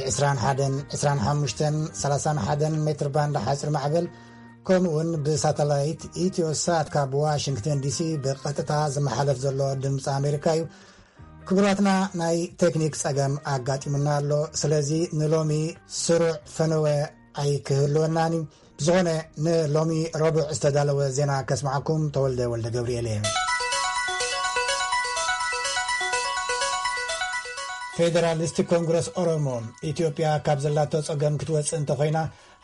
ዕስራን ሓደን፣ ዕስራን ሓሙሽተን፣ ሰላሳን ሓደን ሜትር ባንድ ሓፂር ማዕበል፣ ከምኡ እውን ብሳተላይት ኢትዮ ሳት ካብ ዋሽንግተን ዲሲ ብቐጥታ ዝመሓለፍ ዘሎ ድምፂ ኣሜሪካ እዩ። ክቡራትና፣ ናይ ቴክኒክ ጸገም ኣጋጢሙና ኣሎ። ስለዚ ንሎሚ ስሩዕ ፈነወ ኣይክህልወናን እዩ። ብዝኾነ፣ ንሎሚ ረቡዕ ዝተዳለወ ዜና ከስማዕኩም ተወልደ ወልደ ገብርኤል እየ። ፌደራሊስት ኮንግረስ ኦሮሞ፣ ኢትዮጵያ ካብ ዘላቶ ጸገም ክትወጽእ እንተኾይና፣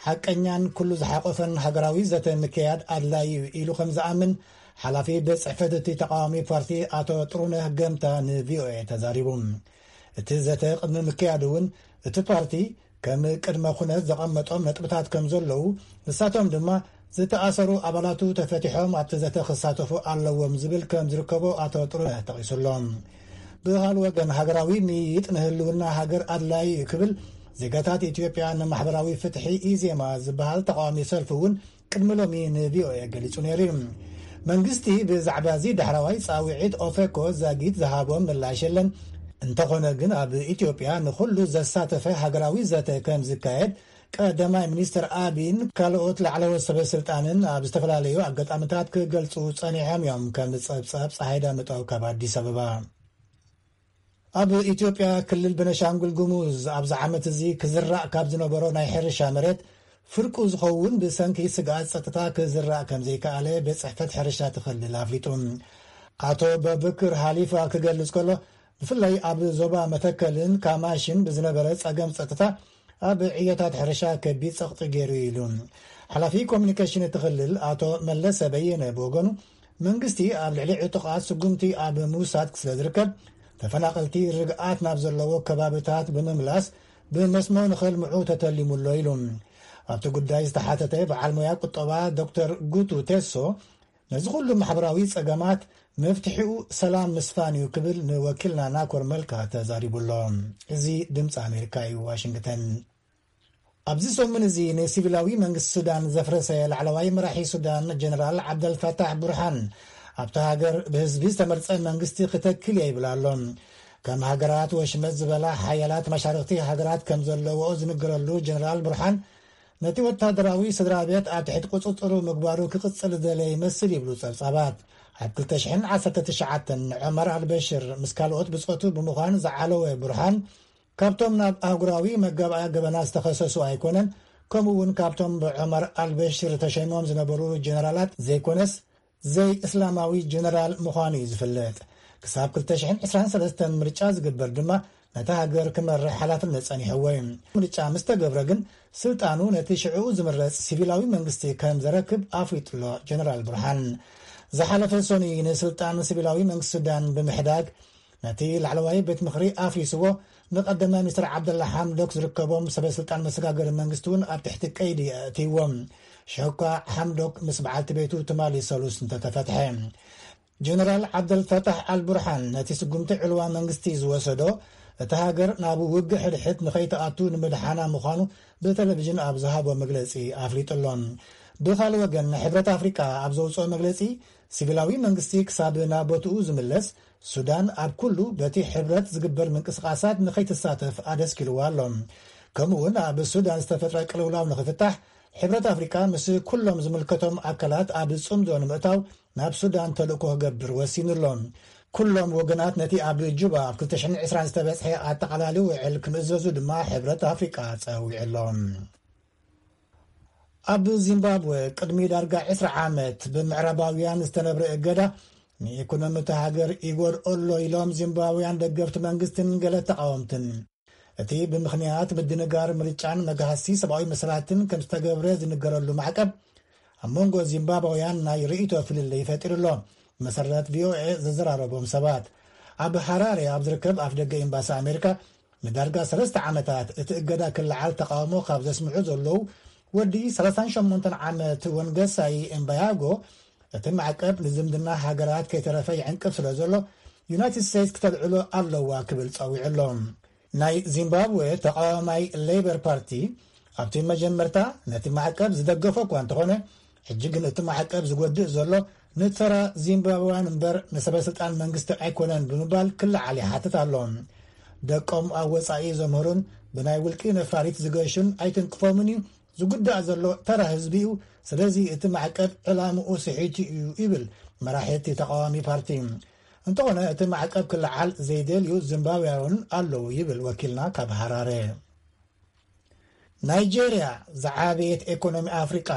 ሓቀኛን ኩሉ ዝሓቆፈን ሃገራዊ ዘተ ምክያድ ኣድላዪ እዩ ኢሉ ከም ዝኣምን ሓላፊ ቤት ጽሕፈት እቲ ተቃዋሚ ፓርቲ ኣቶ ጥሩነህ ገምታ ንቪኦኤ ተዛሪቡ። እቲ ዘተ ቅድሚ ምክያዱ እውን እቲ ፓርቲ ከም ቅድመ ኩነት ዘቐመጦም ነጥብታት ከም ዘለዉ፣ ንሳቶም ድማ ዝተኣሰሩ ኣባላቱ ተፈቲሖም ኣብቲ ዘተ ክሳተፉ ኣለዎም ዝብል ከም ዝርከቦ ኣቶ ጥሩነህ ጠቒሱሎም። ብኻል ወገን፣ ሃገራዊ ምይይጥ ንህልውና ሃገር ኣድላዪ እዩ ክብል ዜጋታት ኢትዮጵያ ንማሕበራዊ ፍትሒ ኢዜማ ዝበሃል ተቃዋሚ ሰልፊ እውን ቅድሚ ሎሚ ንቪኦኤ ገሊጹ ነይሩ እዩ። መንግስቲ ብዛዕባ እዚ ዳሕራዋይ ጻውዒት ኦፌኮ ዛጊት ዝሃቦ ምላሽ የለን። እንተኾነ ግን፣ ኣብ ኢትዮጵያ ንኹሉ ዘሳተፈ ሃገራዊ ዘተ ከም ዝካየድ ቀዳማይ ሚኒስትር ኣቢን ካልኦት ላዕለዎት ሰበ ስልጣንን ኣብ ዝተፈላለዩ ኣጋጣሚታት ክገልጹ ጸኒሖም እዮም። ከም ጸብጻብ ጸሃይ ዳምጠው ካብ ኣዲስ ኣበባ። ኣብ ኢትዮጵያ ክልል ቤኒሻንጉል ጉሙዝ ኣብዚ ዓመት እዚ ክዝራእ ካብ ዝነበሮ ናይ ሕርሻ መሬት ፍርቁ ዝኸውን ብሰንኪ ስግኣት ጸጥታ ክዝራእ ከም ዘይከኣለ ቤት ጽሕፈት ሕርሻ እቲ ክልል ኣፍሊጡ። ኣቶ በብክር ሃሊፋ ክገልጽ ከሎ፣ ብፍላይ ኣብ ዞባ መተከልን ካማሽን ብዝነበረ ጸገም ጸጥታ ኣብ ዕዮታት ሕርሻ ከቢድ ጸቕጢ ገይሩ ኢሉ። ሓላፊ ኮሚኒኬሽን እቲ ክልል ኣቶ መለሰ በየነ ብወገኑ፣ መንግስቲ ኣብ ልዕሊ ዕጡቓት ስጉምቲ ኣብ ምውሳድ ስለ ዝርከብ፣ ተፈናቐልቲ ርግኣት ናብ ዘለዎ ከባብታት ብምምላስ ብመስኖ ንኸልምዑ ተተሊሙ ኣሎ ኢሉ። ኣብቲ ጉዳይ ዝተሓተተ በዓል ሞያ ቁጠባ ዶክተር ጉቱ ቴሶ፣ ነዚ ኩሉ ማሕበራዊ ጸገማት መፍትሒኡ ሰላም ምስፋን እዩ ክብል ንወኪልና ናኮር መልካ ተዛሪቡ ኣሎ። እዚ ድምፂ ኣሜሪካ እዩ፣ ዋሽንግተን። ኣብዚ ሰሙን እዚ ንሲቪላዊ መንግስቲ ሱዳን ዘፍረሰ ላዕለዋይ መራሒ ሱዳን ጀነራል ዓብደልፈታሕ ቡርሃን፣ ኣብታ ሃገር ብህዝቢ ዝተመርጸ መንግስቲ ክተክል እየ ይብል ኣሎ። ከም ሃገራት ወሽመጥ ዝበላ ሓያላት መሻርኽቲ ሃገራት ከም ዘለዎኦ ዝንገረሉ ጀነራል ቡርሃን፣ ነቲ ወታደራዊ ስድራ ቤት ኣብ ትሕቲ ቁጽጽሩ ምግባሩ ክቕጽል ዝደለየ ይመስል ይብሉ ጸብጻባት። ኣብ ክልተ ሽሕን ዓሰርተ ትሽዓተን ዑመር ኣልበሽር ምስ ካልኦት ብጾቱ ብምዃን ዝዓለወ ቡርሃን፣ ካብቶም ናብ ኣህጉራዊ መጋባእያ ገበናት ዝተኸሰሱ ኣይኮነን፣ ከምኡ እውን ካብቶም ብዑመር ኣልበሽር ተሸይሞም ዝነበሩ ጀነራላት ዘይኮነስ፣ ዘይእስላማዊ ጀነራል ምዃኑ እዩ ዝፍለጥ። ክሳብ ክልተ ሽሕን ዕስራን ሰለስተን ምርጫ ዝግበር ድማ ነታ ሃገር ክመርሕ ሓላፍነት ጸኒሕዎ እዩ። ምርጫ ምስ ተገብረ ግን ስልጣኑ ነቲ ሽዕኡ ዝምረጽ ሲቪላዊ መንግስቲ ከም ዘረክብ ኣፍሊጡ ኣሎ ጀነራል ቡርሃን። ዝሓለፈ ሰኑይ ንስልጣን ሲቪላዊ መንግስቲ ሱዳን ብምሕዳግ ነቲ ላዕለዋይ ቤት ምኽሪ ኣፍሪስዎ፣ ንቀዳማይ ሚኒስትር ዓብደላ ሓምዶክ ዝርከቦም ሰበ ስልጣን መሰጋገሪ መንግስቲ እውን ኣብ ትሕቲ ቀይዲ ኣእትይዎም። ሽሕኳ ሓምዶክ ምስ በዓልቲ ቤቱ ትማሊ ሰሉስ እንተተፈትሐ። ጀነራል ዓብደልፈታሕ ኣልቡርሃን ነቲ ስጉምቲ ዕልዋ መንግስቲ ዝወሰዶ፣ እታ ሃገር ናብ ውግእ ሕድሕድ ንኸይትኣቱ ንምድሓና ምዃኑ ብቴሌቪዥን ኣብ ዝሃቦ መግለጺ ኣፍሊጡ ኣሎ። ብኻልእ ወገን፣ ሕብረት ኣፍሪቃ ኣብ ዘውፅኦ መግለጺ፣ ሲቪላዊ መንግስቲ ክሳብ ናብ ቦትኡ ዝምለስ፣ ሱዳን ኣብ ኩሉ በቲ ሕብረት ዝግበር ምንቅስቓሳት ንኸይትሳተፍ ኣደስኪልዋ ኣሎ። ከምኡውን ኣብ ሱዳን ዝተፈጥረ ቅልውላው ንኽፍታሕ፣ ሕብረት ኣፍሪቃ ምስ ኩሎም ዝምልከቶም ኣካላት ኣብ ጽምዶ ንምእታው ናብ ሱዳን ተልእኮ ክገብር ወሲኑ ኣሎ። ኩሎም ወገናት ነቲ ኣብ ጁባ ኣብ ክልተ ሽሕን ዕስራን ዝተበጽሐ ኣጠቓላሊ ውዕል ክምእዘዙ ድማ ሕብረት ኣፍሪቃ ጸዊዑ ኣሎ። ኣብ ዚምባብወ ቅድሚ ዳርጋ ዕስራ ዓመት ብምዕራባውያን ዝተነብረ እገዳ ንኢኮኖሚ እታ ሃገር ይጎድኦ ኣሎ ኢሎም ዚምባብውያን ደገፍቲ መንግስትን ገለ ተቃወምትን። እቲ ብምኽንያት ምድንጋር ምርጫን መግሃሲ ሰብኣዊ መሰላትን ከም ዝተገብረ ዝንገረሉ ማዕቀብ ኣብ መንጎ ዚምባብውያን ናይ ርእይቶ ፍልልይ ፈጢሩ ኣሎ። መሰረት ቪኦኤ ዘዘራረቦም ሰባት፣ ኣብ ሃራሬ ኣብ ዝርከብ ኣፍደገ ኤምባሲ ኣሜሪካ ንዳርጋ ሰለስተ ዓመታት እቲ እገዳ ክለዓል ተቃውሞ ካብ ዘስምዑ ዘለዉ ወዲ ሰላሳን ሸሞንተን ዓመት ወንገሳይ ኤምባያጎ፣ እቲ ማዕቀብ ንዝምድና ሃገራት ከይተረፈ ይዕንቅፍ ስለ ዘሎ ዩናይትድ ስቴትስ ክተልዕሎ ኣለዋ ክብል ጸዊዑ ኣሎ። ናይ ዚምባብዌ ተቃዋማይ ሌበር ፓርቲ ኣብቲ መጀመርታ ነቲ ማዕቀብ ዝደገፎ እኳ እንተኾነ፣ ሕጂ ግን እቲ ማዕቀብ ዝጎድእ ዘሎ ንተራ ዚምባብዋን እምበር ንሰበ ስልጣን መንግስቲ ኣይኮነን ብምባል ክለዓል ይሓትት ኣሎ። ደቆም ኣብ ወጻኢ ዘምህሩን ብናይ ውልቂ ነፋሪት ዝገሹን ኣይትንክፎምን እዩ። ዝጉዳእ ዘሎ ተራ ህዝቢ እዩ። ስለዚ እቲ ማዕቀብ ዕላምኡ ስሒቱ እዩ ይብል መራሒ እቲ ተቃዋሚ ፓርቲ። እንተኾነ እቲ ማዕቀብ ክለዓል ዘይደልዩ ዚምባብያውን ኣለዉ ይብል ወኪልና ካብ ሃራረ። ናይጄርያ፣ ዝዓበየት ኤኮኖሚ ኣፍሪቃ፣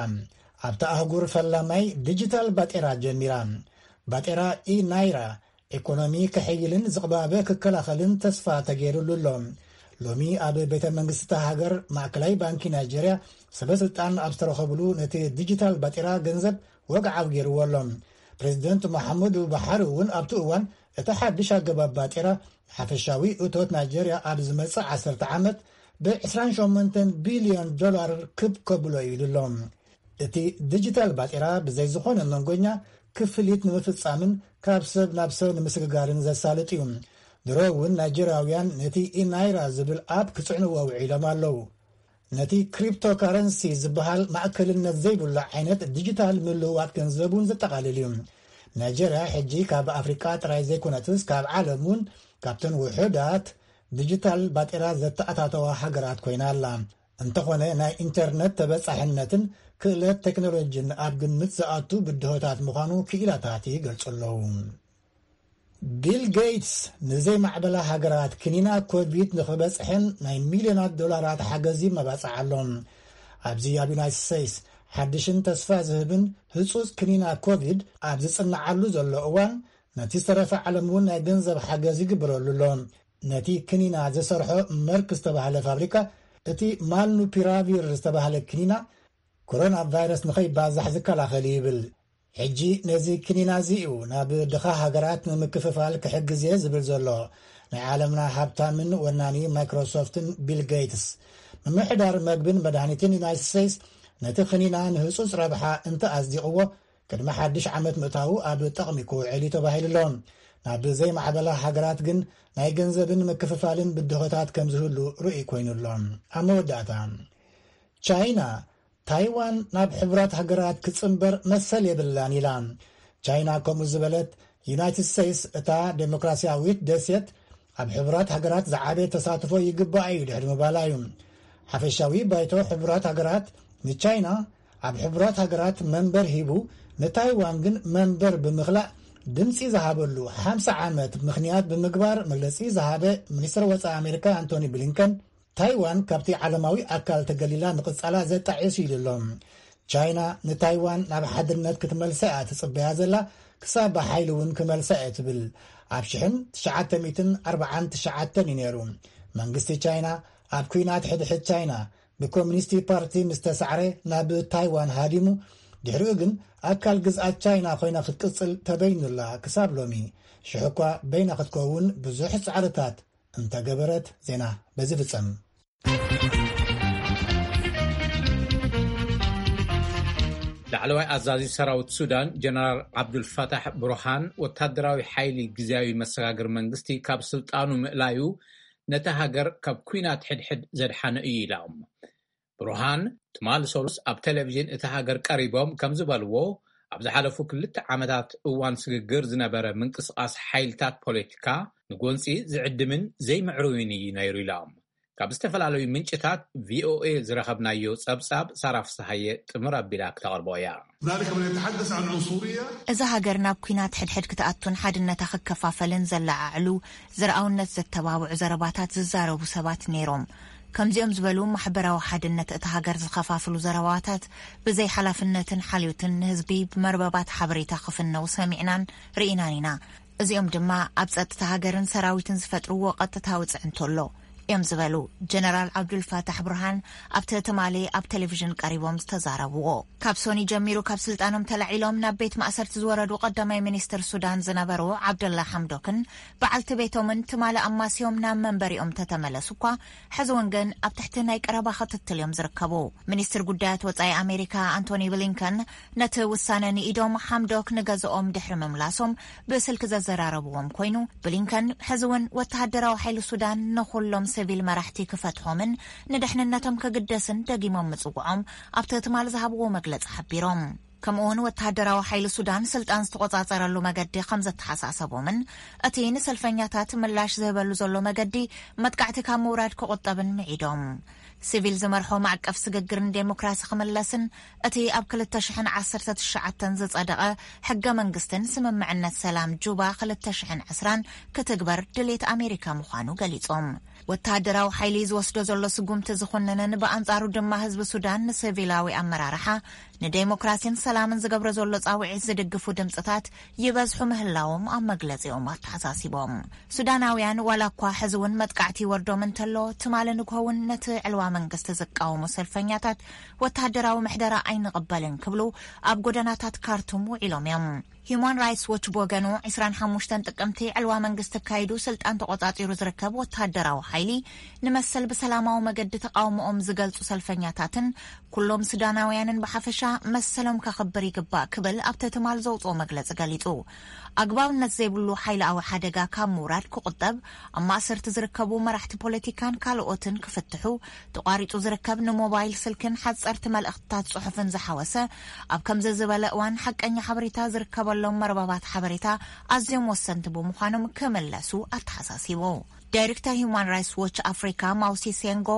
ኣብታ ኣህጉር ፈላማይ ዲጂታል ባጤራ ጀሚራ። ባጤራ ኢ ናይራ ኤኮኖሚ ከሐይልን ዝቕባበ ክከላኸልን ተስፋ ተገይሩሉ ኣሎ። ሎሚ ኣብ ቤተ መንግስቲ እታ ሃገር ማእከላይ ባንኪ ናይጄርያ ሰበ ስልጣን ኣብ ዝተረኸብሉ ነቲ ዲጂታል ባጤራ ገንዘብ ወግዓዊ ገይርዎ ኣሎ። ፕሬዚደንት መሓመዱ ባሓሪ እውን ኣብቲ እዋን እቲ ሓድሽ ኣገባብ ባጤራ ሓፈሻዊ እቶት ናይጄርያ ኣብ ዝመጽእ ዓሰርተ ዓመት ብ ዕስራን ሸሞንተን ቢልዮን ዶላር ክብ ከብሎ እዩ ኢሉ ኣሎ። እቲ ዲጂታል ባጤራ ብዘይ ዝኾነ መንጎኛ ክፍሊት ንምፍጻምን ካብ ሰብ ናብ ሰብ ንምስግጋርን ዘሳልጥ እዩ። ድሮ እውን ናይጀርያውያን ነቲ ኢናይራ ዝብል ኣፕ ክጽዕንዎ ውዒሎም ኣለዉ። ነቲ ክሪፕቶካረንሲ ዝበሃል ማእከልነት ዘይብሉ ዓይነት ዲጂታል ምልውዋጥ ገንዘብ እውን ዘጠቓልል እዩ። ናይጀርያ ሕጂ ካብ ኣፍሪቃ ጥራይ ዘይኮነትስ ካብ ዓለም እውን ካብተን ውሑዳት ዲጂታል ባጤራ ዘተኣታተዋ ሃገራት ኮይና ኣላ። እንተኾነ ናይ ኢንተርነት ተበጻሕነትን ክእለት ቴክኖሎጂን ኣብ ግምት ዝኣቱ ብድሆታት ምዃኑ ክኢላታት ይገልጹ ኣለዉ። ቢል ጌትስ ንዘይማዕበላ ሃገራት ክኒና ኮቪድ ንኽበጽሐን ናይ ሚልዮናት ዶላራት ሓገዝ ይመባጻዕ ኣሎ። ኣብዚ ኣብ ዩናይትድ ስቴትስ ሓድሽን ተስፋ ዝህብን ህጹጽ ክኒና ኮቪድ ኣብ ዝጽንዓሉ ዘሎ እዋን፣ ነቲ ዝተረፈ ዓለም እውን ናይ ገንዘብ ሓገዝ ይግበረሉ ኣሎ። ነቲ ክኒና ዝሰርሖ መርክ ዝተባህለ ፋብሪካ፣ እቲ ማልኑፒራቪር ዝተባህለ ክኒና ኮሮና ቫይረስ ንኸይባዛሕ ዝከላኸል እዩ ይብል። ሕጂ ነዚ ክኒና እዚ እዩ ናብ ድኻ ሃገራት ንምክፍፋል ክሕግዝ እየ ዝብል ዘሎ ናይ ዓለምና ሃብታምን ወናኒ ማይክሮሶፍትን ቢል ጌትስ። ምምሕዳር መግብን መድሃኒትን ዩናይትድ ስቴትስ ነቲ ክኒና ንህጹጽ ረብሓ እንተ ኣጽዲቕዎ፣ ቅድሚ ሓድሽ ዓመት ምእታዉ ኣብ ጥቕሚ ክውዕል እዩ ተባሂሉ ኣሎ። ናብ ዘይማዕበላ ሃገራት ግን ናይ ገንዘብን ምክፍፋልን ብድሆታት ከም ዝህሉ ርእይ ኮይኑ ኣሎ። ኣብ መወዳእታ፣ ቻይና ታይዋን ናብ ሕቡራት ሃገራት ክጽንበር መሰል የብላን ኢላ። ቻይና ከምኡ ዝበለት፣ ዩናይትድ ስቴትስ እታ ዴሞክራሲያዊት ደሴት ኣብ ሕቡራት ሃገራት ዝዓበየ ተሳትፎ ይግባኣ እዩ ድሕሪ ምባላ እዩ። ሓፈሻዊ ባይቶ ሕቡራት ሃገራት ንቻይና ኣብ ሕቡራት ሃገራት መንበር ሂቡ፣ ንታይዋን ግን መንበር ብምኽላእ ድምፂ ዝሃበሉ ሓምሳ ዓመት ምኽንያት ብምግባር መግለፂ ዝሃበ ሚኒስትር ወፃኢ ኣሜሪካ ኣንቶኒ ብሊንከን፣ ታይዋን ካብቲ ዓለማዊ ኣካል ተገሊላ ምቕጻላ ዘጣዕስ ኢሉ ኣሎ። ቻይና ንታይዋን ናብ ሓድነት ክትመልሳ እያ ትጽበያ ዘላ፣ ክሳብ ብሓይሊ እውን ክመልሳ እየ ትብል። ኣብ ሽሕን ትሽዓተ ሚእትን ኣርባዓን ትሽዓተን እዩ ነይሩ። መንግስቲ ቻይና ኣብ ኲናት ሕድሕድ ቻይና ብኮሚኒስቲ ፓርቲ ምስ ተሳዕረ ናብ ታይዋን ሃዲሙ፣ ድሕሪኡ ግን ኣካል ግዝኣት ቻይና ኮይና ክትቅጽል ተበይኑላ ክሳብ ሎሚ። ሽሕ እኳ በይና ክትከውን ብዙሕ ጻዕርታት እንተገበረት። ዜና በዚ ፍጸም። ላዕለዋይ ኣዛዚ ሰራዊት ሱዳን ጀነራል ዓብዱልፋታሕ ብሩሃን፣ ወታደራዊ ሓይሊ ግዝያዊ መሰጋግር መንግስቲ ካብ ስልጣኑ ምእላዩ ነታ ሃገር ካብ ኲናት ሕድሕድ ዘድሓነ እዩ ኢሎም። ብሩሃን ትማሊ ሰሉስ ኣብ ቴሌቪዥን እታ ሃገር ቀሪቦም ከም ዝበልዎ፣ ኣብ ዝሓለፉ ክልተ ዓመታት እዋን ስግግር ዝነበረ ምንቅስቓስ ሓይልታት ፖለቲካ ንጎንፂ ዝዕድምን ዘይምዕሩይን እዩ ነይሩ ኢሎም። ካብ ዝተፈላለዩ ምንጭታት ቪኦኤ ዝረኸብናዮ ጸብጻብ ሳራ ፍስሃየ ጥምር ኣቢላ ክተቕርቦ እያ። ذلك من يتحدث عن عنصرية. እዛ ሃገር ናብ ኲናት ሕድሕድ ክትኣቱን ሓድነታ ክከፋፈልን ዘለዓዕሉ፣ ዘርኣውነት ዘተባብዑ ዘረባታት ዝዛረቡ ሰባት ነይሮም። ከምዚኦም ዝበሉ ማሕበራዊ ሓድነት እታ ሃገር ዝኸፋፍሉ ዘረባታት ብዘይ ሓላፍነትን ሓልዮትን ንህዝቢ ብመርበባት ሓበሬታ ክፍነው ሰሚዕናን ርኢናን ኢና። እዚኦም ድማ ኣብ ጸጥታ ሃገርን ሰራዊትን ዝፈጥርዎ ቀጥታዊ ጽዕንቶ ኣሎ እዮም ዝበሉ ጀነራል ዓብዱልፋታሕ ብርሃን ኣብቲ ትማሊ ኣብ ቴሌቪዥን ቀሪቦም ዝተዛረብዎ። ካብ ሶኒ ጀሚሩ ካብ ስልጣኖም ተላዒሎም ናብ ቤት ማእሰርቲ ዝወረዱ ቀዳማይ ሚኒስትር ሱዳን ዝነበሩ ዓብደላ ሓምዶክን በዓልቲ ቤቶምን ትማሊ ኣማስዮም ናብ መንበሪኦም ተተመለሱ እኳ፣ ሕዚ እውን ግን ኣብ ትሕቲ ናይ ቀረባ ክትትል እዮም ዝርከቡ። ሚኒስትር ጉዳያት ወጻኢ ኣሜሪካ ኣንቶኒ ብሊንከን ነቲ ውሳነ ንኢዶም ሓምዶክ ንገዝኦም ድሕሪ ምምላሶም ብስልኪ ዘዘራረብዎም ኮይኑ፣ ብሊንከን ሕዚ እውን ወተሃደራዊ ሓይሊ ሱዳን ንኹሎም ሲቪል መራሕቲ ክፈትሖምን ንድሕንነቶም ክግደስን ደጊሞም ምጽውዖም ኣብቲ ትማሊ ዝሃብዎ መግለጺ ሓቢሮም። ከምኡውን ወተሃደራዊ ሓይሊ ሱዳን ስልጣን ዝተቖጻጸረሉ መገዲ ከም ዘተሓሳሰቦምን እቲ ንሰልፈኛታት ምላሽ ዝህበሉ ዘሎ መገዲ መጥቃዕቲ ካብ ምውራድ ክቑጠብን ምዒዶም። ሲቪል ዝመርሖ ማዕቀፍ ስግግርን ዴሞክራሲ ክምለስን እቲ ኣብ ክልተ ሽሕን ዓሰርተ ትሽዓተን ዝጸደቐ ሕገ መንግስትን ስምምዕነት ሰላም ጁባ ክልተ ሽሕን ዕስራን ክትግበር ድሌት ኣሜሪካ ምዃኑ ገሊጾም። ወተሃደራዊ ሓይሊ ዝወስዶ ዘሎ ስጉምቲ ዝኹንንን ብኣንጻሩ ድማ ህዝቢ ሱዳን ንሲቪላዊ ኣመራርሓ ንዴሞክራሲን ሰላምን ዝገብሮ ዘሎ ጻውዒት ዝድግፉ ድምጽታት ይበዝሑ ምህላዎም ኣብ መግለጺኦም ኣተሓሳሲቦም። ሱዳናውያን ዋላ እኳ ሕዚ እውን መጥቃዕቲ ይወርዶም እንተሎ፣ ትማሊ ንግሆ እውን ነቲ ዕልዋ መንግስቲ ዝቃወሙ ሰልፈኛታት ወተሃደራዊ ምሕደራ ኣይንቕበልን ክብሉ ኣብ ጎደናታት ካርቱም ውዒሎም እዮም። ሂዩማን ራይትስ ዎች ብወገኑ፣ ዕስራን ሓሙሽተን ጥቅምቲ ዕልዋ መንግስቲ ኣካይዱ ስልጣን ተቆጻጺሩ ዝርከብ ወተሃደራዊ ሓይሊ ንመሰል ብሰላማዊ መገዲ ተቃውሞኦም ዝገልጹ ሰልፈኛታትን ኩሎም ሱዳናውያንን ብሓፈሻ መሰሎም ከኽብር ይግባእ ክብል ኣብቲ ትማል ዘውጽኦ መግለጺ ገሊጹ። ኣግባብነት ዘይብሉ ሓይላዊ ሓደጋ ካብ ምውራድ ክቑጠብ፣ ኣብ ማእሰርቲ ዝርከቡ መራሕቲ ፖለቲካን ካልኦትን ክፍትሑ፣ ተቋሪጹ ዝርከብ ንሞባይል ስልክን ሓጸርቲ መልእኽትታት ጽሑፍን ዝሓወሰ ኣብ ከምዚ ዝበለ እዋን ሓቀኛ ሓበሬታ ዝርከበሎም መርበባት ሓበሬታ ኣዝዮም ወሰንቲ ብምዃኖም ክምለሱ ኣተሓሳሲቡ። ዳይሬክተር ሂዩማን ራይትስ ዎች ኣፍሪካ ማውሲ ሴንጎ፣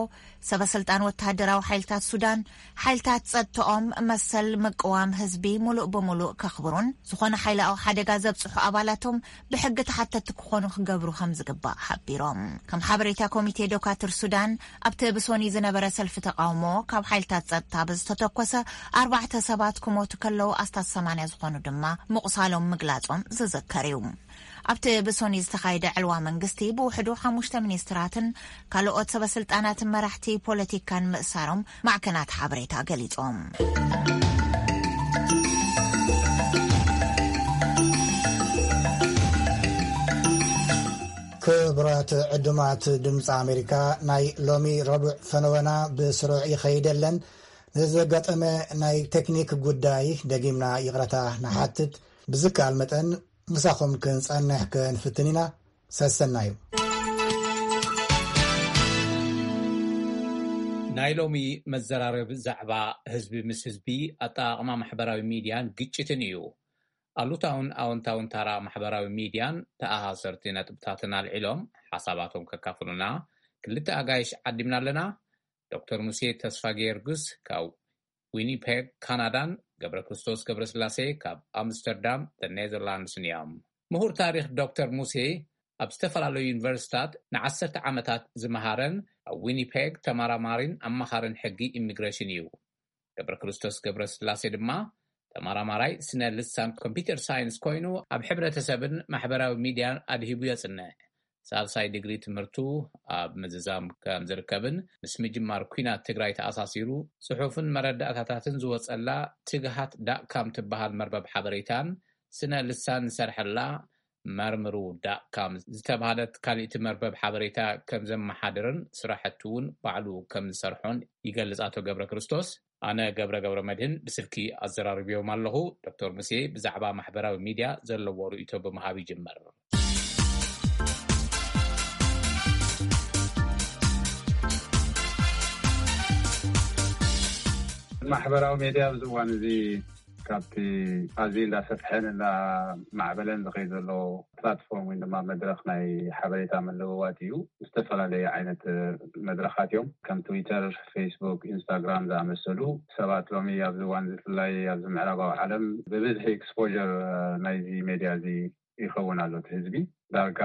ሰበ ስልጣን ወተሃደራዊ ሓይልታት ሱዳን፣ ሓይልታት ጸጥተኦም መሰል ምቅዋም ህዝቢ ሙሉእ ብሙሉእ ከኽብሩን ዝኾነ ሓይላዊ ሓደጋ ዘብጽሑ ኣባላቶም ብሕጊ ተሓተቲ ክኾኑ ክገብሩ ከም ዝግባእ ሓቢሮም። ከም ሓበሬታ ኮሚቴ ዶካትር ሱዳን፣ ኣብቲ ብሶኒ ዝነበረ ሰልፊ ተቃውሞ ካብ ሓይልታት ጸጥታ ብዝተተኮሰ ኣርባዕተ ሰባት ክሞቱ ከለዉ ኣስታት ሰማንያ ዝኾኑ ድማ ምቑሳሎም ምግላጾም ዝዝከር እዩ። ኣብቲ ብሶኒ ዝተኻየደ ዕልዋ መንግስቲ ብውሕዱ ሓሙሽተ ሚኒስትራትን ካልኦት ሰበስልጣናትን መራሕቲ ፖለቲካን ምእሳሮም ማዕከናት ሓበሬታ ገሊጾም። ክቡራት ዕዱማት ድምፂ ኣሜሪካ፣ ናይ ሎሚ ረቡዕ ፈነወና ብስሩዕ ይኸይደለን። ንዘጋጠመ ናይ ቴክኒክ ጉዳይ ደጊምና ይቕረታ ንሓትት። ብዝከኣል መጠን ምሳኹም ክንጸንሕ ክንፍትን ኢና። ሰሰናዩ። ናይ ሎሚ መዘራረቢ ዛዕባ ህዝቢ ምስ ህዝቢ፣ ኣጠቓቕማ ማሕበራዊ ሚድያን ግጭትን እዩ። ኣሉታውን ኣወንታውን ታራ ማሕበራዊ ሚድያን ተኣሳሰርቲ ነጥብታትን ኣልዒሎም ሓሳባቶም ከካፍሉና ክልተ ኣጋይሽ ዓዲምና ኣለና። ዶክተር ሙሴ ተስፋ ጊዮርጊስ ካብ ዊኒፔግ ካናዳን ገብረ ክርስቶስ ገብረስላሴ ካብ ኣምስተርዳም ኔዘርላንድስን እዮም። ምሁር ታሪኽ ዶክተር ሙሴ ኣብ ዝተፈላለዩ ዩኒቨርሲታት ንዓሰርተ ዓመታት ዝመሃረን ኣብ ዊኒፔግ ተመራማሪን ኣማኻርን ሕጊ ኢሚግሬሽን እዩ። ገብረ ክርስቶስ ገብረስላሴ ድማ ተመራማራይ ስነ ልሳን ኮምፒውተር ሳይንስ ኮይኑ ኣብ ሕብረተሰብን ማሕበራዊ ሚድያን ኣድሂቡ የጽንዕ። ሳልሳይ ዲግሪ ትምህርቱ ኣብ ምዝዛም ከም ዝርከብን ምስ ምጅማር ኲናት ትግራይ ተኣሳሲሩ ጽሑፍን መረዳእታታትን ዝወጸላ ትግሃት ዳት ካም ትበሃል መርበብ ሓበሬታን ስነ ልሳን ዝሰርሐላ መርምሩ ዳት ካም ዝተባህለት ካልእቲ መርበብ ሓበሬታ ከም ዘመሓድርን ስራሕቲ እውን ባዕሉ ከም ዝሰርሖን ይገልጽ ኣቶ ገብረ ክርስቶስ። ኣነ ገብረ ገብረ መድህን ብስልኪ ኣዘራርብዮም ኣለኹ። ዶክተር ሙሴ ብዛዕባ ማሕበራዊ ሚድያ ዘለዎ ርእይቶ ብምሃብ ይጅመር። ማሕበራዊ ሚድያ ኣብዚ እዋን እዚ ካብቲ ኣዝዩ እንዳሰፍሐን እንዳማዕበለን ዝኸይድ ዘሎ ፕላትፎርም ወይ ድማ መድረኽ ናይ ሓበሬታ ምልውዋጥ እዩ። ዝተፈላለዩ ዓይነት መድረኻት እዮም። ከም ትዊተር፣ ፌስቡክ፣ ኢንስታግራም ዝኣመሰሉ ሰባት ሎሚ ኣብዚ እዋን እዚ ብፍላይ ኣብዚ ምዕራባዊ ዓለም ብብዝሒ ኤክስፖር ናይዚ ሜድያ እዚ ይኸውን ኣሎ። እቲ ህዝቢ ዳርጋ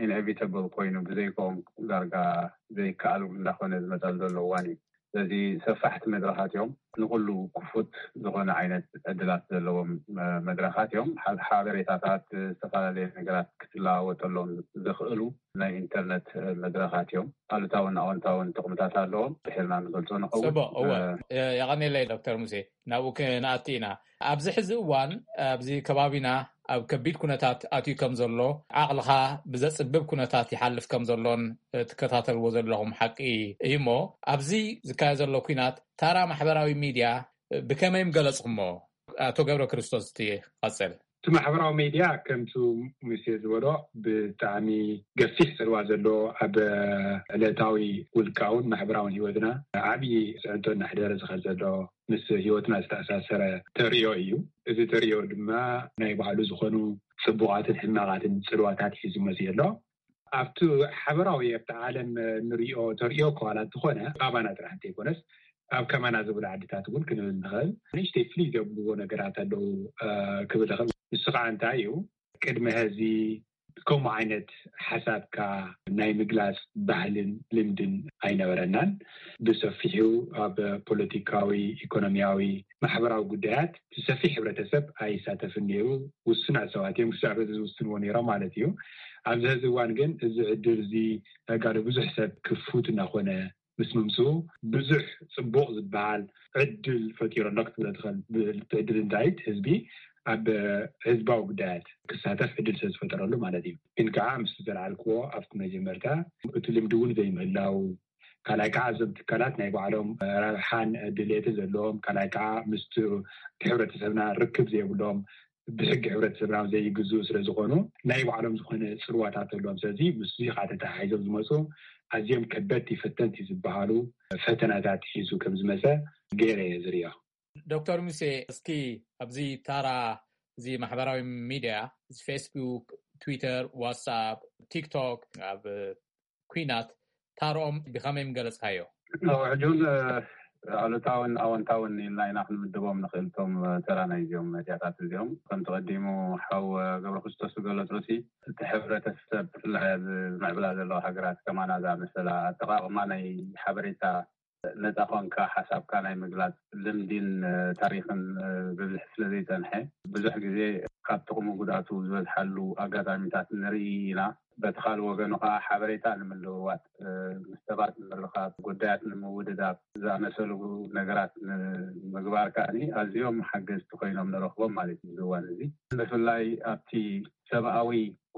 ኢንኤቪተብል ኮይኑ ብዘይኮም ዳርጋ ዘይከኣል እንዳኾነ ዝመፀሉ ዘሎ እዋን እዩ። ስለዚ ሰፋሕቲ መድረኻት እዮም። ንኹሉ ክፉት ዝኾነ ዓይነት ዕድላት ዘለዎም መድረኻት እዮም። ሓበሬታታት፣ ዝተፈላለዩ ነገራት ክትለዋወጠሎም ዘኽእሉ ናይ ኢንተርነት መድረኻት እዮም። ኣሉታውን ኣወንታውን ጥቕምታት ኣለዎም። ድሒርና ንገልጾ ንኸውን። ጽቡቕ፣ እወ። የቐኔለይ ዶክተር ሙሴ፣ ናብኡ ክንኣቱ ኢና። ኣብዚ ሕዚ እዋን ኣብዚ ከባቢና ኣብ ከቢድ ኩነታት ኣትዩ ከም ዘሎ፣ ዓቕልኻ ብዘጽብብ ኩነታት ይሓልፍ ከም ዘሎን ትከታተልዎ ዘለኹም ሓቂ እዩ። እሞ ኣብዚ ዝካየድ ዘሎ ኲናት ታራ ማሕበራዊ ሚድያ ብከመይ ምገለጽኩሞ? ኣቶ ገብረ ክርስቶስ፣ እቲ ቀጽል። እቲ ማሕበራዊ ሜድያ ከምቲ ሙሴ ዝበሎ ብጣዕሚ ገፊሕ ጽልዋ ዘለዎ ኣብ ዕለታዊ ውልቃውን ማሕበራውን ህይወትና ዓብዪ ጽዕንቶ እናሕደረ ዝኸድ ዘሎ ምስ ህይወትና ዝተኣሳሰረ ተርእዮ እዩ። እዚ ተርእዮ ድማ ናይ ባዕሉ ዝኾኑ ጽቡቓትን ሕማቓትን ጽልዋታት ሒዙ መፅኡ ኣሎ። ኣብቲ ሓበራዊ ኣብቲ ዓለም ንሪኦ ተርእዮ ከዋላ እንተኾነ ኣባና ጥራሕ እንተይኮነስ ኣብ ከማና ዝብሉ ዓድታት እውን ክንብል ንኽእል። ንእሽተይ ፍልይ ዘብልዎ ነገራት ኣለዉ ክብል እኽእል። ንሱ ከዓ እንታይ እዩ? ቅድሚ ሕዚ ከምኡ ዓይነት ሓሳብካ ናይ ምግላፅ ባህልን ልምድን ኣይነበረናን። ብሰፊሑ ኣብ ፖለቲካዊ፣ ኢኮኖሚያዊ፣ ማሕበራዊ ጉዳያት ሰፊሕ ሕብረተሰብ ኣይሳተፍን ነይሩ። ውሱናት ሰባት እዮም ክሳዕ በዚ ዝውስንዎ ነይሮም ማለት እዩ። ኣብዚ ሕዚ እዋን ግን እዚ ዕድል እዚ ተጋሩ ብዙሕ ሰብ ክፉት እናኾነ ምስ ምምፅኡ ብዙሕ ፅቡቕ ዝበሃል ዕድል ፈጢሩ ኣሎ ክትብሎ ትኽእል። እቲ ዕድል እንታይ? ህዝቢ ኣብ ህዝባዊ ጉዳያት ክሳተፍ ዕድል ስለ ዝፈጠረሉ ማለት እዩ። ግን ከዓ ምስ ዘልዓልክዎ ኣብቲ መጀመርታ እቲ ልምዲ እውን ዘይምህላው፣ ካልኣይ ከዓ እዞም ትካላት ናይ ባዕሎም ረብሓን ድሌትን ዘለዎም፣ ካልኣይ ከዓ ምስቲ ሕብረተሰብና ርክብ ዘይብሎም፣ ብሕጊ ሕብረተሰብና ዘይግዝኡ ስለ ዝኾኑ ናይ ባዕሎም ዝኾነ ፅልዋታት ኣለዎም። ስለዚ ምስዚ ከዓ ተተሓሒዞም ዝመፁ ኣዝዮም ከበድቲ ፈተንቲ ዝበሃሉ ፈተናታት ሒዙ ከም ዝመፀ ገይረ እየ ዝርእዮ። ዶክተር ሙሴ፣ እስኪ ኣብዚ ታራ እዚ ማሕበራዊ ሚድያ፣ እዚ ፌስቡክ፣ ትዊተር፣ ዋትስኣፕ፣ ቲክቶክ ኣብ ኩናት ታርኦም ብኸመይ ምገለጽካዮ? ሕጁን ኣሉታውን ኣወንታውን ኢልና ኢና ክንምድቦም ንኽእል። እቶም ተራ ናይ እዚኦም መድያታት እዚኦም ከምቲ ቀዲሙ ሓው ገብረ ክርስቶስ ዝገለጾ ሲ፣ እቲ ሕብረተሰብ ብፍላይ ኣብ ዝምዕብላ ዘለዋ ሃገራት ከማና ዝኣመሰላ ኣጠቓቕማ ናይ ሓበሬታ ነፃ ኮንካ ሓሳብካ ናይ ምግላፅ ልምዲን ታሪክን ብብዝሒ ስለ ዘይፀንሐ ብዙሕ ግዜ ካብ ጥቕሙ ጉድኣቱ ዝበዝሓሉ ኣጋጣሚታት ንርኢ ኢና። በቲ ካልእ ወገኑ ከዓ ሓበሬታ ንምልውዋጥ፣ ምስ ሰባት ንምርኻብ፣ ጉዳያት ንምውድዳብ ዝኣመሰሉ ነገራት ንምግባር ከዓ ኣዝዮም ሓገዝቲ ኮይኖም ንረኽቦም ማለት እዩ። እዚ እዋን እዚ ብፍላይ ኣብቲ ሰብኣዊ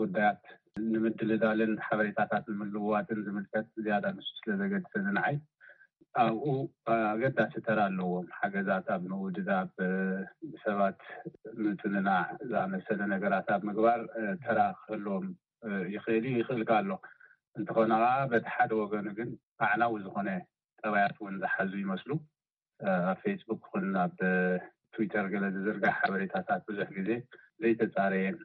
ጉዳያት ንምድልዳልን ሓበሬታታት ንምልውዋጥን ዝምልከት ዝያዳ ንሱ ስለ ዘገድሰኒ ንዓይ ኣብኡ ኣገዳሲ ተራ ኣለዎም። ሓገዛት ኣብ ምውድዳብ፣ ብሰባት ምጽንናዕ ዝኣመሰለ ነገራት ኣብ ምግባር ተራ ክህልዎም ይኽእል እዩ፣ ይኽእል ከኣ ኣሎ። እንተኾነ ከኣ በቲ ሓደ ወገኑ ግን ኣዕናዊ ዝኾነ ጠባያት እውን ዝሓዙ ይመስሉ። ኣብ ፌስቡክ ይኹን ኣብ ትዊተር ገለ ዝዝርጋሕ ሓበሬታታት ብዙሕ ግዜ ዘይተጻረየን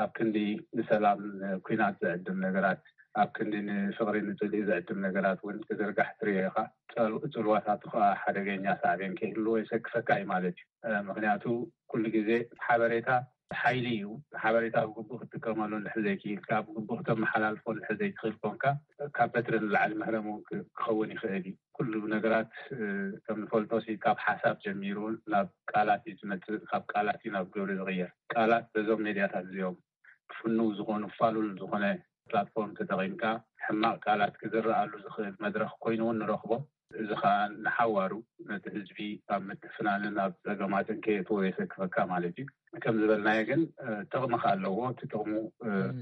ኣብ ክንዲ ንሰላም ኩናት ዝዕድም ነገራት፣ ኣብ ክንዲ ንፍቕሪ ንጽልኢ ዝዕድም ነገራት እውን ክዝርጋሕ ትርእዮ ኢኻ። ጽልዋታቱ ከዓ ሓደገኛ ሳዕቤን ከይህልዎ የሰክፈካ እዩ ማለት እዩ። ምኽንያቱ ኩሉ ግዜ ሓበሬታ ሓይሊ እዩ። ሓበሬታ ብግቡእ ክትጥቀመሉ እንድሕር ዘይክኢልካ፣ ብግቡእ ክተመሓላልፎ እንድሕር ዘይትኽእል ኮንካ፣ ካብ በትሪ ንላዕሊ መህረም እውን ክኸውን ይኽእል እዩ። ኩሉ ነገራት ከም ንፈልጦ ሲ ካብ ሓሳብ ጀሚሩ ናብ ቃላት እዩ ዝመፅእ፣ ካብ ቃላት እዩ ናብ ግብሪ ዝቕየር። ቃላት በዞም ሜድያታት እዚኦም ክፍንው ዝኾኑ ፋሉል ዝኾነ ፕላትፎርም ተጠቒምካ ሕማቕ ቃላት ክዝረኣሉ ዝኽእል መድረኽ ኮይኑ እውን ንረኽቦ። እዚ ከዓ ንሓዋሩ ነቲ ህዝቢ ኣብ ምትፍናንን ኣብ ፀገማትን ከየእትዎ የሰክፈካ ማለት እዩ። ከም ዝበልናዮ ግን ጥቕሚ ከዓ ኣለዎ። እቲ ጥቕሙ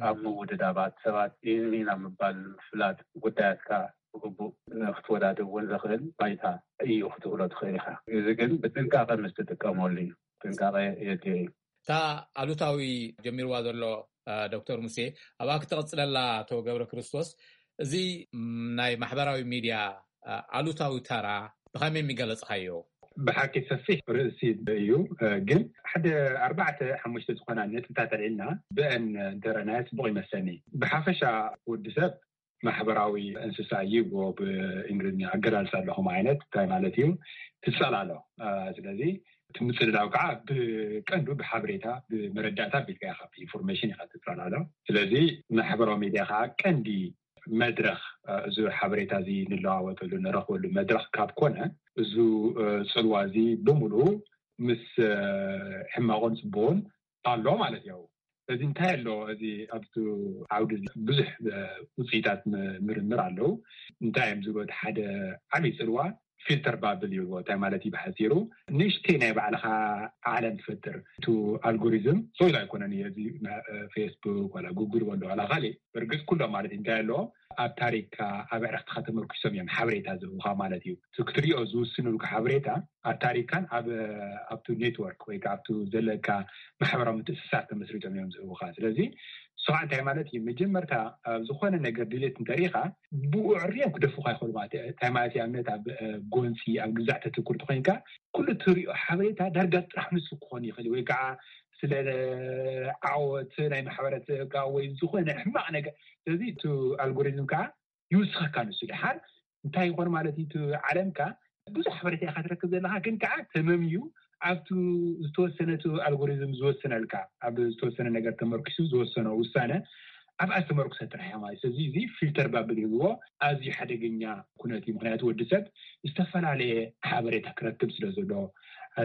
ኣብ ምውድዳባት ሰባት ኢንሚን ኣብ ምባል ምፍላጥ ጉዳያትካ ብግቡእ ክትወዳድር እውን ዘኽእል ባይታ እዩ ክትብሎ ትኽእል ኢኻ። እዚ ግን ብጥንቃቐ ምስ ትጥቀመሉ እዩ። ጥንቃቐ የድልዮ እዩ። እታ ኣሉታዊ ጀሚርዋ ዘሎ ዶክተር ሙሴ ኣብኣ ክትቕፅለላ ኣቶ ገብረ ክርስቶስ፣ እዚ ናይ ማሕበራዊ ሚድያ ኣሉታዊ ተራ ብኸመይ የሚገለፅካዮ? ብሓቂ ሰፊሕ ርእሲ እዩ። ግን ሓደ ኣርባዕተ ሓሙሽተ ዝኾና ነጥብታት ኣልዒልና ብአን እንተረናዮ ፅቡቕ ይመስለኒ። ብሓፈሻ ወዲ ሰብ ማሕበራዊ እንስሳ እዩ ብእንግሊዝኛ ኣገላልፃ ኣለኹም ዓይነት እንታይ ማለት እዩ ትፀላሎ። ስለዚ እቲ ምፅልላው ከዓ ብቀንዱ ብሓበሬታ ብመረዳእታ ቢልካ ኢኻ ኢንፎርሜሽን ኢኻ ትፀላሎ። ስለዚ ማሕበራዊ ሚድያ ከዓ ቀንዲ መድረኽ እዚ ሓበሬታ እዚ ንለዋወጠሉ ንረኽበሉ መድረኽ ካብ ኮነ እዚ ፅልዋ እዚ ብምሉኡ ምስ ሕማቑን ፅቡቑን ኣሎ ማለት እዩ። እዚ እንታይ ኣሎ እዚ ኣብቲ ዓውዲ ብዙሕ ውፅኢታት ምርምር ኣለዉ። እንታይ እዮም ዝብሉ ሓደ ዓብዪ ፅልዋ ፊልተር ባብል ይብልዎ። እንታይ ማለት እዩ ብሓፂሩ? ንእሽተይ ናይ ባዕልኻ ዓለም ትፈጥር። እቲ ኣልጎሪዝም ሶይል ኣይኮነን እዩ። እዚ ፌስቡክ ዋላ ጉግል ወላ ዋላ ካልእ፣ ብርግፅ ኩሎም ማለት እዩ። እንታይ ኣለዎ? ኣብ ታሪክካ፣ ኣብ ዕረክትካ ተመርኪሶም እዮም ሓበሬታ ዝህቡካ ማለት እዩ። እቲ ክትሪኦ ዝውስኑልካ ሓበሬታ ኣብ ታሪክካን ኣብ ኣብቲ ኔትወርክ ወይ ከዓ ኣብቲ ዘለካ ማሕበራዊ ምትእስሳር ተመስሪቶም እዮም ዝህቡካ። ስለዚ ንሱ ከዓ እንታይ ማለት እዩ? መጀመርታ ኣብ ዝኾነ ነገር ድሌት እንተሪኢኻ ብኡ ዕርዮም ክደፉካ ይኽእሉ ማለት እዩ። እንታይ ማለት እዩ? ኣብነት ኣብ ጎንፂ ኣብ ግዛዕ ተትኩር ተኮይንካ ኩሉ ትሪኦ ሓበሬታ ዳርጋ ጥራሕ ንሱ ክኾን ይኽእል ወይ ከዓ ስለ ዓወት ናይ ማሕበረሰብካ ወይ ዝኾነ ሕማቕ ነገር። ስለዚ እቲ ኣልጎሪዝም ከዓ ይውስኸካ። ንሱ ድሓር እንታይ ይኾን ማለት እዩ? እቲ ዓለምካ ብዙሕ ሓበሬታ ኢኻ ትረክብ ዘለካ፣ ግን ከዓ ተመምዩ ኣብቲ ዝተወሰነ እቲ ኣልጎሪዝም ዝወሰነልካ ኣብ ዝተወሰነ ነገር ተመርኪሱ ዝወሰኖ ውሳነ ኣብኣ ዝተመርኩሰ ጥራሕ እያ ማለት። ስለዚ እዚ ፊልተር ባብል ይብልዎ። ኣዝዩ ሓደገኛ ኩነት እዩ። ምክንያቱ ወዲ ሰብ ዝተፈላለየ ሓበሬታ ክረክብ ስለ ዘሎ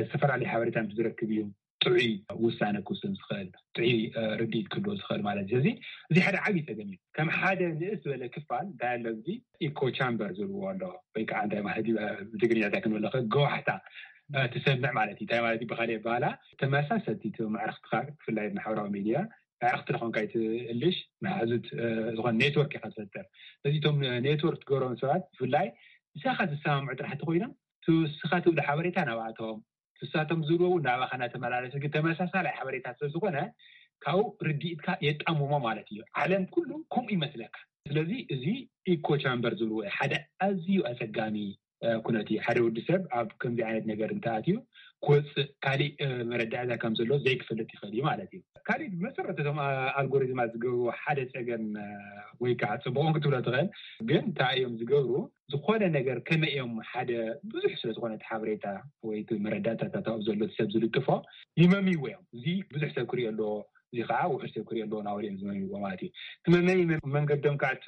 ዝተፈላለየ ሓበሬታ ምስ ዝረክብ እዩ ጥዑይ ውሳነ ክውስን ዝኽእል፣ ጥዑይ ርድኢት ክህልዎ ዝኽእል ማለት እዩ። ስለዚ እዚ ሓደ ዓብዪ ፀገም እዩ። ከም ሓደ ንእስ ዝበለ ክፋል እንታይ ኣሎ እዚ ኢኮ ቻምበር ዝብልዎ ኣሎ ወይ ከዓ እንታይ ማለት እዩ ብትግርኛ እንታይ ክንብል ንኽእል ገዋሕታ ትሰምዕ ማለት እዩ። እንታይ ማለት እዩ ብካሊእ ኣባህላ ተመሳሰልቲ እቲ መዕርክትካ ብፍላይ ማሕበራዊ ሚድያ መዕርክቲ ዝኾንካ ይትእልሽ መሓዙት ዝኾነ ኔትወርክ ኢካ ትፈጥር። ስለዚ እቶም ኔትወርክ ትገብሮም ሰባት ብፍላይ ንሳኻ ዝሰማምዑ ጥራሕ እንተኮይኖም ንስኻ ትብሎ ሓበሬታ ናብኣቶም ንሳቶም ዝብልዎ እውን ናባኻ እናተመላለሰ ግን ተመሳሳላይ ሓበሬታ ስለዝኾነ ካብኡ ርድኢትካ የጣምሞ ማለት እዩ። ዓለም ኩሉ ከምኡ ይመስለካ። ስለዚ እዚ ኢኮ ቻምበር ዝብልዎ ሓደ ኣዝዩ ኣፀጋሚ ኩነት እዩ። ሓደ ወዲ ሰብ ኣብ ከምዚ ዓይነት ነገር እንተኣትዩ ክወፅእ ካሊእ መረዳእታ ከም ዘሎ ዘይክፈልጥ ይኽእል እዩ ማለት እዩ። ካሊእ ብመሰረት እቶም ኣልጎሪዝማት ዝገብርዎ ሓደ ፀገም ወይ ከዓ ፅቡቕን ክትብሎ ትኽእል ግን እንታይ እዮም ዝገብሩ ዝኾነ ነገር ከመይ እዮም ሓደ ብዙሕ ስለ ዝኾነ እቲ ሓበሬታ ወይ እቲ መረዳእታታት ኣብኡ ዘሎ እቲ ሰብ ዝልጥፎ ይመምይዎ እዮም። እዚ ብዙሕ ሰብ ክሪኦ ኣለዎ፣ እዚ ከዓ ውሑድ ሰብ ክሪኦ ኣለዎ እናበሉ እዮም ዝመምይዎ ማለት እዩ። እቲ መመይ መንገዶም ከዓ እቲ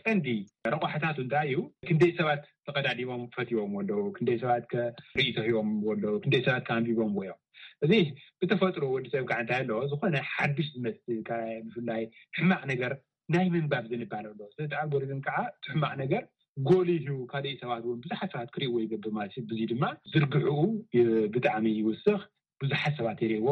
ቀንዲ ረቋሕታቱ እንታይ እዩ? ክንደይ ሰባት ተቐዳዲሞም ፈትዎም ኣለዉ፣ ክንደይ ሰባት ከ ርእይቶ ሂቦም ኣለዉ፣ ክንደይ ሰባት ከ ኣንቢቦም እዮም። እዚ ብተፈጥሮ ወዲ ሰብ ከዓ እንታይ ኣለዎ? ዝኾነ ሓዱሽ ዝመስል ብፍላይ ሕማቕ ነገር ናይ ምንባብ ዝንባለ ኣሎ። ስለዚ ኣልጎሪዝም ከዓ እቲ ሕማቕ ነገር ጎሊሁ ካልእ ሰባት እውን ብዙሓት ሰባት ክሪእዎ ይገብር ማለት እዩ። ብዙይ ድማ ዝርግሕኡ ብጣዕሚ ይውስኽ፣ ብዙሓት ሰባት ይሪእዎ።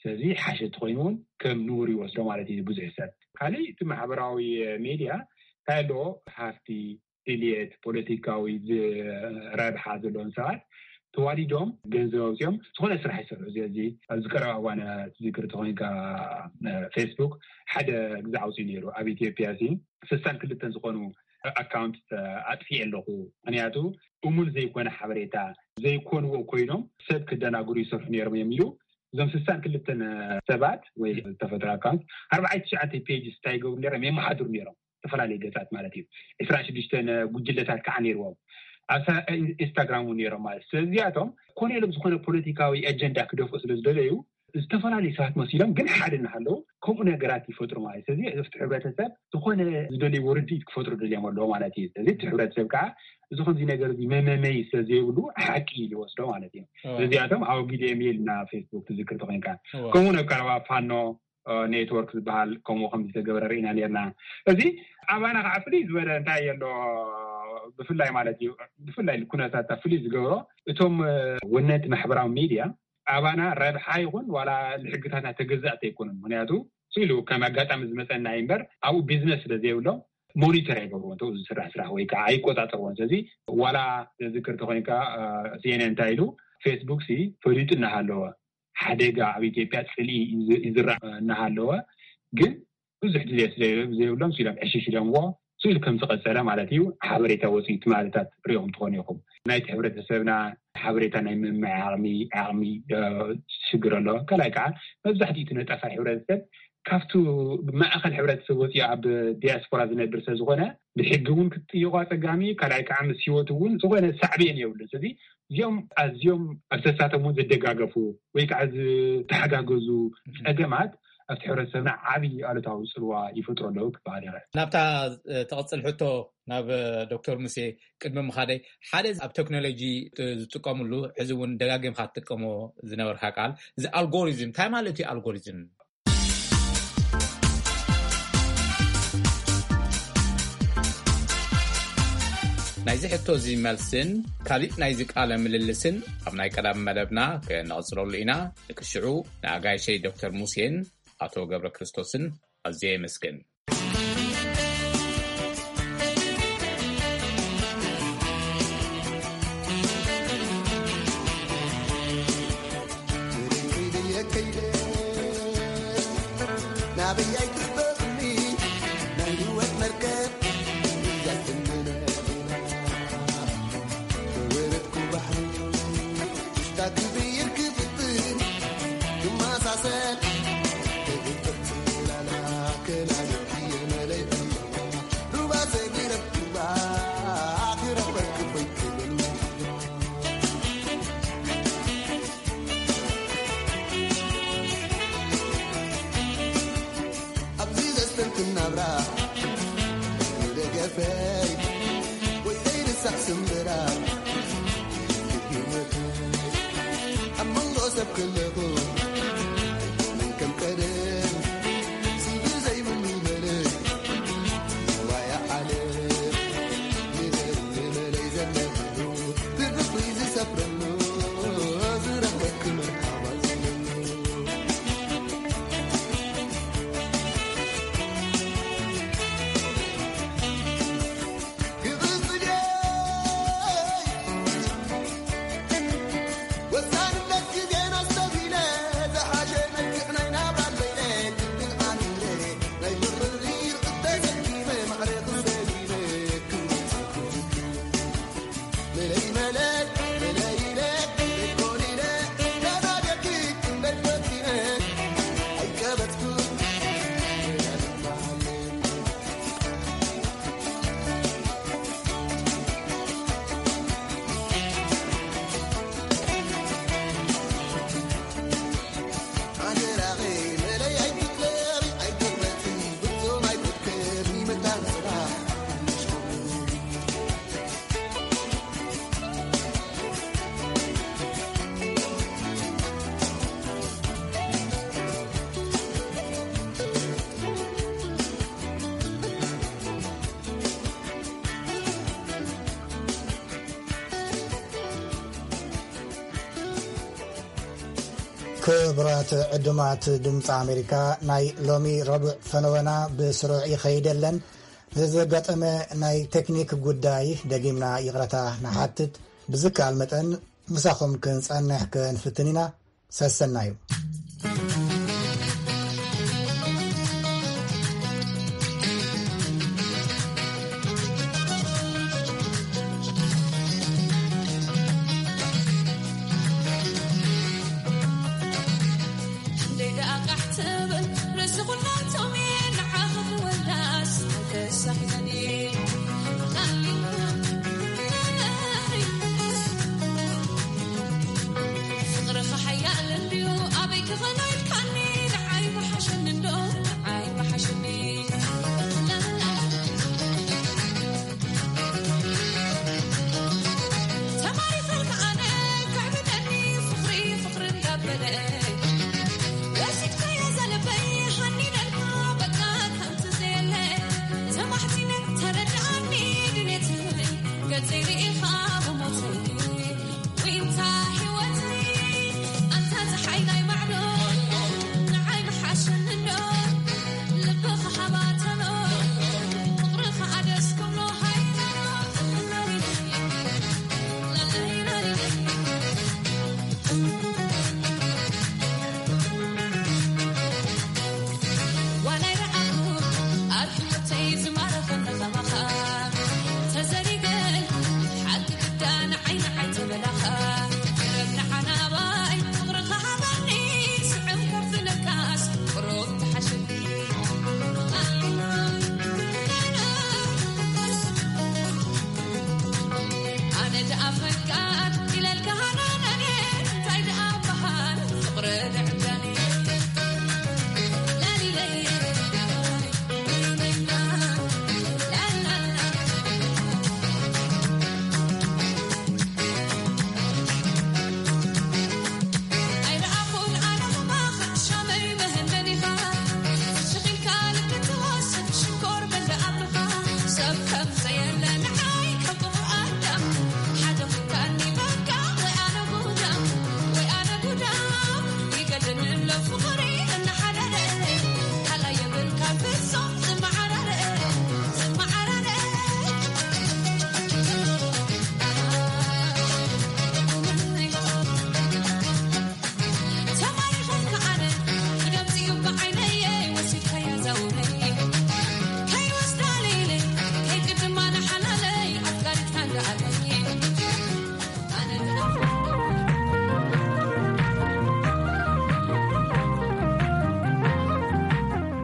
ስለዚ ሓሸቲ ኮይኑ እውን ከም ንቡር ይወስዶ ማለት እዩ ብዙሕ ሰብ። ካልእ እቲ ማሕበራዊ ሜድያ እንታይ ኣለዎ ሃፍቲ ድልየት ፖለቲካዊ ረብሓ ዘለዎም ሰባት ተዋዲዶም ገንዘብ ኣውፅኦም ዝኾነ ስራሕ ይሰርሑ። እዚ ኣብዚ ቀረባ እዋን ትዝክር ተኮይንካ ፌስቡክ ሓደ ግዛ ኣውፅኡ ነይሩ ኣብ ኢትዮጵያ ሲ ስሳን ክልተን ዝኾኑ ኣካውንት ኣጥፊኤ ኣለኹ ምክንያቱ እሙን ዘይኮነ ሓበሬታ ዘይኮንዎ ኮይኖም ሰብ ክደናግሩ ይሰርሑ ነይሮም እዮም ኢሉ እዞም ስሳን ክልተን ሰባት ወይ ዝተፈጥሮ ኣካውንት ኣርባዓይ ትሽዓተ ፔጅስ እንታይ ይገብሩ ነይሮም የመሓድሩ ነይሮም ዝተፈላለዩ ገፃት ማለት እዩ። ዕስራን ሽዱሽተን ጉጅለታት ከዓ ነይርዎም ኣብ ኢንስታግራም እውን ነይሮም ማለት ስለዚኣቶም ኮነ ኢሎም ዝኾነ ፖለቲካዊ ኣጀንዳ ክደፍኡ ስለ ዝደለዩ ዝተፈላለዩ ሰባት መሲሎም ግን ሓደ እናሃለዉ ከምኡ ነገራት ይፈጥሩ ማለት ስለዚ እቲ ሕብረተሰብ ዝኾነ ዝደልይዎ ርድኢት ክፈጥሩ ደልዮም ኣለዎ ማለት እዩ። ስለዚ እቲ ሕብረተሰብ ከዓ እዚ ከምዚ ነገር እዚ መመመይ ስለዘይብሉ ሓቂ ኢሉ ይወስዶ ማለት እዩ። ስለዚኣቶም ኣወጊድዮም ኢልና ፌስቡክ ትዝክር ተኮይንካ ከምኡ ናብ ቀረባ ፋኖ ኔትወርክ ዝበሃል ከምኡ ከም ዝተገበረ ርኢና ነርና። እዚ ኣባና ከዓ ፍልይ ዝበለ እንታይ ኣሎ ብፍላይ ማለት እዩ ብፍላይ ኩነታት ፍልይ ዝገብሮ እቶም ወነንቲ ማሕበራዊ ሚድያ ኣባና ረብሓ ይኹን ዋላ ንሕግታትና ተገዛእቲ ኣይኮኑን። ምክንያቱ ኢሉ ከም ኣጋጣሚ ዝመፀና እምበር ኣብኡ ቢዝነስ ስለ ዘይብሎም ሞኒተር ኣይገብርዎ እ ዝስራሕ ስራሕ ወይ ከዓ ኣይቆፃፀርዎን። ስለዚ ዋላ ዝዝክር ተኮይንካ ሲኤንኤን እንታይ ኢሉ ፌስቡክ ሲ ፈሊጡ እናሃለወ ሓደጋ ኣብ ኢትዮጵያ ፅልኢ ይዝራእ እናሃለወ ግን ብዙሕ ድልየት ዘይብሎም ሲሎም ዕሽሽ ኢሎምዎ ስኢሉ ከም ዝቐፀለ ማለት እዩ። ሓበሬታ ወፅኡ ትማልታት ሪኦም ትኾኑ ኢኹም ናይቲ ሕብረተሰብና ሓበሬታ ናይ ምምዕ ዓቕሚ ዓቕሚ ሽግር ኣሎ። ካልኣይ ከዓ መብዛሕትኡ እቲ ነጠፋይ ሕብረተሰብ ካብቱ ማእኸል ሕብረተሰብ ወፂኡ ኣብ ዲያስፖራ ዝነብር ሰብ ዝኾነ ብሕጊ እውን ክትጥይቆ ኣፀጋሚ ካልኣይ ከዓ ምስ ህይወት እውን ዝኾነ ሳዕቤን የብሉን። ስለዚ እዚኦም ኣዝዮም ኣብ ተሳቶም እውን ዝደጋገፉ ወይ ከዓ ዝተሓጋገዙ ፀገማት ኣብቲ ሕብረተሰብና ዓብዪ ኣሉታዊ ፅልዋ ይፈጥሩ ኣለዉ ክበሃል ይኽእል። ናብታ ተቐፅል ሕቶ ናብ ዶክተር ሙሴ ቅድሚ ምኻደይ ሓደ ኣብ ቴክኖሎጂ ዝጥቀምሉ ሕዚ እውን ደጋጊምካ ትጥቀሞ ዝነበርካ ቃል እዚ ኣልጎሪዝም እንታይ ማለት እዩ ኣልጎሪዝም? ናይዚ ሕቶ እዚ መልስን ካልእ ናይዚ ቃለ ምልልስን ኣብ ናይ ቀዳም መደብና ክነቕጽለሉ ኢና። ንክሽዑ ንኣጋይሸይ ዶክተር ሙሴን ኣቶ ገብረ ክርስቶስን ኣዝየ የመስግን። ናበይ ኣይትኽበርኒ ናይ ህይወት መርከብ እያ ትምነና። ወረድኩ ባሕሪ ሽታ ክብይር ክፍትን ክመሳሰል ክግብር ትላላ ከላልክ የመለይ ሩባ ዘቢረብ ሩባ ክረኽበክ ኮይትብል ኣብዚ ዘስተንትን ናብራ ደገፈይ ወይ ዘይርሳዕ ስምብራ ህይወተይ ኣብ መንጎ ሰብ ከለኹ መን ከም ቀደም ስቢ ዘይብሉ በለይ ዋያ ዓለም ንበል ንበለይ ዘለኽሉ ትርፍ ዝሰፍረሉ ዝረኽበክ መርሓባ ዝብለሉ ክቡራት ዕዱማት ድምፂ ኣሜሪካ፣ ናይ ሎሚ ረቡዕ ፈነወና ብስሩዕ ይኸይደለን። ንዘጋጠመ ናይ ቴክኒክ ጉዳይ ደጊምና ይቕረታ ንሓትት። ብዝከኣል መጠን ምሳኹም ክንጸንሕ ክንፍትን ኢና። ሰሰናዩ።